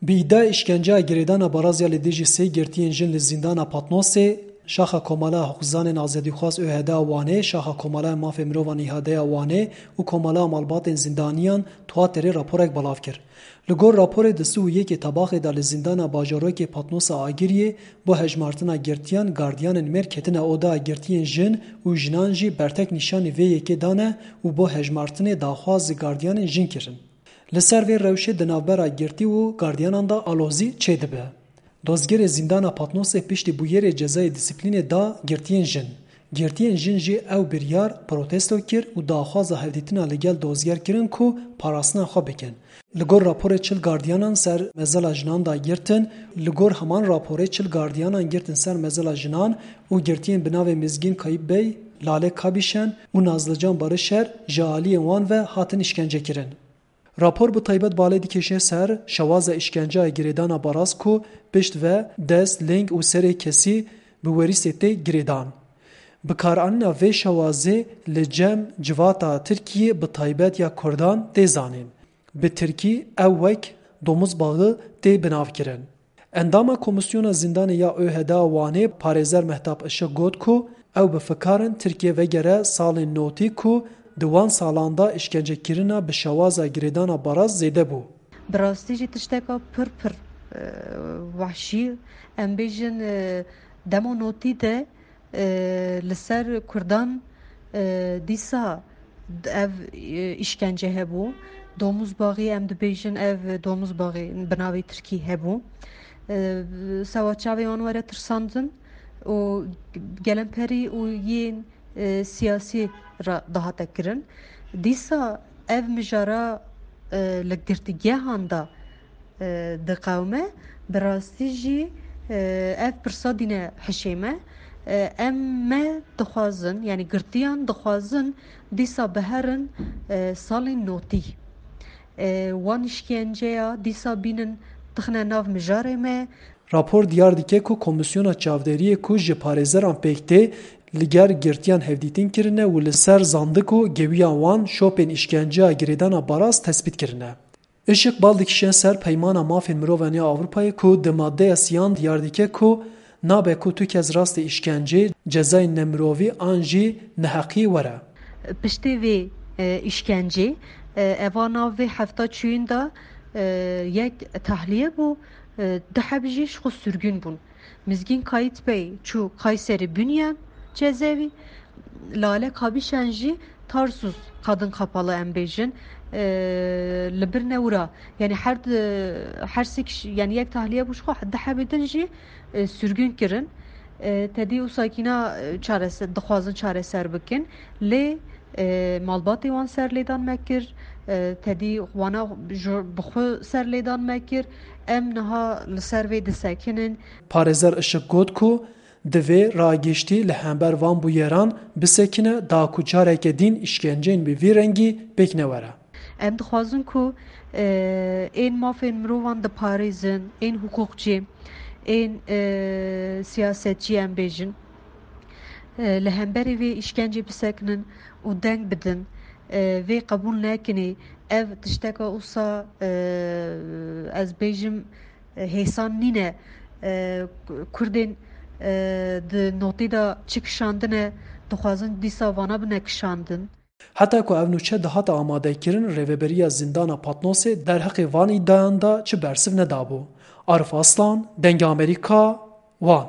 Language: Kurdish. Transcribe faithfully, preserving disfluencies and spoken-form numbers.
Bi îdiaya îşkenceya girêdana Baraz ya li dijî sê girtiyên jin li zîndana Patnosê, Şaxa Komala Hiqûqzanên Azadîxwaz ÖHD a Wanê, Şaxa Komala Mafê Mirovan İHAD'ê ya Wanê û Komala Malbatên Zîndaniyan Tuaterê raporek belav kir. Li gor raporê di sih û yekê Tebaxê de li zîndana bajarokê Patnosa Agiriyê bo hejmartina girtiyan gardiyanên mêr ketine oda, girtiyên jin û jinan jî bertek nîşanî vê yekê dane û bo hejmartinê daxwaz ji gardiyanên jin kirin. Li ser vê rewşê di navbera girtî û gardiyanan de alozî çêdibe. Dozgerê zîndana Patnosê piştî bûyerê cezayê dîsîplînê da girtiyên jin. Girtiyên jin jî ew biryar protesto kir û daxwaza hevdîtina li gel dozger kirin ku parastina xwe bikin. Li gor raporê çil gardiyanan ser mezela jinan da girtin, li gor heman raporê çil gardiyanan girtin ser mezela jinan û girtiyên bi navê Mizgîn Kayip Bey, Lale Kabîşen û Nazlican Barişer ji aliyên wan ve hatin îşkence kirin. Rapor bi taybet balê dikêşe ser şewaza îşkenceya girêdana Baraz ku pişt ve dest, ling û serê kesî bi werîsê tê girêdan. Bikaranîna vê şewazê li cem civata Tirkiyê bi taybet ya Kurdan tê zanîn. Bi Tirkî ew wek domuzbaxî tê binavkirin. Endama Komîsyona Zîndanê ya ÖHD a Wanê parêzer Mehtap Işık got ku ew bi fikar in Tirkiye vegere salên notî ku di wan salan de îşkencekirina bi şewaza girêdana Baraz zêde bû. Bi rastî jî tişteka pir pir, e, wehşî, em bêjin, e, dema notî de, e, li ser Kurdan, e, dîsa ev, e, îşkence hebû. Domuzbaxî, em dibêjin ev domuzbaxî bi navê Tirkî hebû. E, sewa çavê wan were tirsandin û gelemperî û yên, e, siyasî re dihate kirin. Dîsa ev mijara, e, li girtîgehan de, e, diqewime, bi rastî jî, e, ev pirsa dîne hişê me. E, em me dixwazin, yanî girtiyan dixwazin, dîsa biherin, e, salên notî. E, wan îşkenceya dîsa bînin tixine nav mijarê me. Rapor diyar dike ku Komîsyona Çavderiyê ku ji parêzeran pêk tê, li gel girtiyan hevdîtin kirine û li ser zandik û gewiya wan şopên îşkenceya girêdana Baraz tespît kirine. Işık bal dikişe ser Peymana Mafên Mirovan ya Ewropayê ku di maddeya siyan diyar dike ku nabe ku tu kes rastê îşkencê, cezayên nemirovî an jî neheqiyê were. Piştê vê, e, îşkencê, e, eva nav vê hefta çûyîn de, e, yek tahliye bû, e, du heb jî ji xwe sürgün bûn. Mizgîn Kayit Bey çû Kayseri Bünyan cezevî, Lale Kabişen jî Tarsus Kadın Kapalı em bêjin, e, li bir newra, yani her di, her sê kişi, yani yek tahliye bû ji xwe, di hebê din jî, e, sürgün kirin. E, tedî û sakîna, e, çarese-, dixwazin çareser bikin. Lê, e, malbatê wan serlêdan me kir, e, tedî wana ji, bi xwe serlêdan me kir. Em niha li ser vê disekinin. Parêzer Işık got ku divê ragiştî li hember van bûyeran bisekine da ku careke din îşkenceyên bi vî rengî pêk newere. Em dixwazin ku, e, ên mafên mirovan diparêzin, ên hiqûqçî, ên, e, siyasetçî em bêjin, e, li hemberî vê îşkencê bisekinin û deng bidin. E, vê qebûl nekinê. Ev tişteka wisa, e, ez bêjim, e, hêsan nîne. E, Kurdên, e, di notî de çi kişandine, dixwazin dîsa vana bine kişandin. Heta ku ev nûçe dihate amadekirin, Rêveberiya Zîndana Patnosê derheqê van îdiayan de çi bersiv nedabû. Arif Aslan, Dengê Amerîka, Wan.